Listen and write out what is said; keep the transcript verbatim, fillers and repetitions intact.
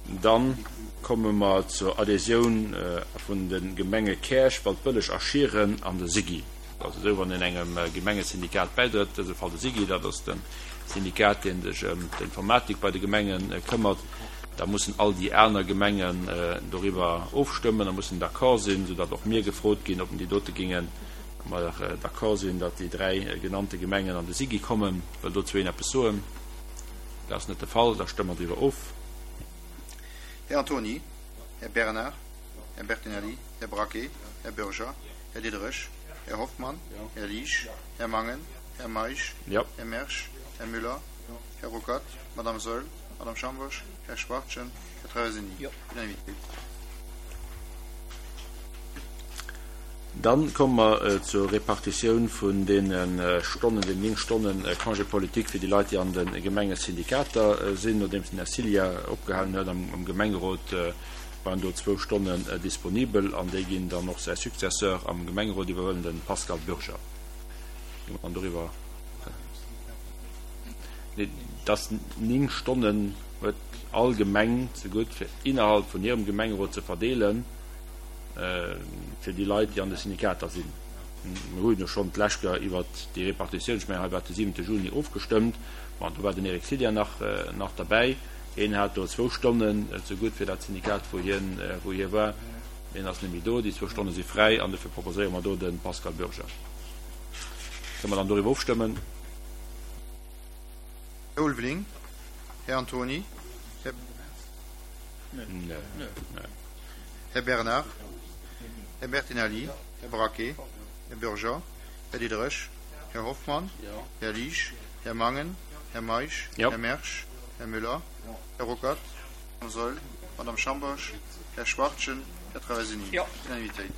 Dann komme mer zur Adhésioun vun de Gemenge Käerch, Waldbëlleg a Schieren an de SIGI. Et ass esou, wann een engem Gemengesyndikat bäidrëtt, dëse Fall de SIGI, dat ass de Syndikat, dee sech ëm d'Informatik bei de Gemenge këmmert, da mussen all déi aner Gemengen doriwwer ofstëmmen a mussen d'accord sinn, soudatt och mir gefrot ginn, ob déi dote géinge mer d'accord sinn, datt déi dräi genannte Gemengen an de SIGI kommen. Wëll dozou een eppes soen? Dat ass net de Fall. Da stëmme mer driwwer of. Här Antony, Här Bernard, Här Bertinelli, Här Braquet, Här Bürger, Här Diderich, Här Hoffmann, Här Liesch, Här Mangen, Här Meisch, Här Mersch, Här Müller, Här Ruckert, Madame Saeul, Madame Schambourg, Här Schwachtgen, Här Traversini. Unanimité. Dann komme mer zur Repartitioun vun deene Stonnen, den néng Stonne Congé politique fir déi Leit, déi an de Gemengesyndikater sinn. Nodeems den Här Silja opgehalen huet am Gemengerot, waren do zwou Stonnen disponibel an déi ginn dann och säi Successeur am Gemengerot iwwerhuelen, de Pascal Bürger. Gi mer dann doriwwer? Nee, dass néng Stonnen huet all Gemeng zegutt, fir innerhalb vun hirem Gemengerot ze verdeelen. fir déi Leit, déi an de Syndikater sinn. Mir hu jo schonn d'lescht Joer iwwert déi Repartitioun, ech mengen, hei war et de siwente Juni, ofgestëmmt. Bon, do war den Eric Silja nach, nach derbäi. Hien hat do zwou Stonnen zegutt fir dat Syndikat, wou hien, wou hie war. Hien ass net méi do. Déi zwou Stonne si fräi an dofir proposéiere mer do de Pascal Bürger. Kënne mer dann doriwwer ofstëmmen? Här Ulveling, Här Antony, Här. Här Bernard, Här Bertinelli, Här Braquet, Här Bürger, Här Diderich, Här Hoffmann, Här Liesch, Här Mangen, Här Meisch, Här Mersch, Här Müller, Här Ruckert, Madame Saeul, Madame Schambourg, Här Schwachtgen, Här Traversini. Unanimitéit.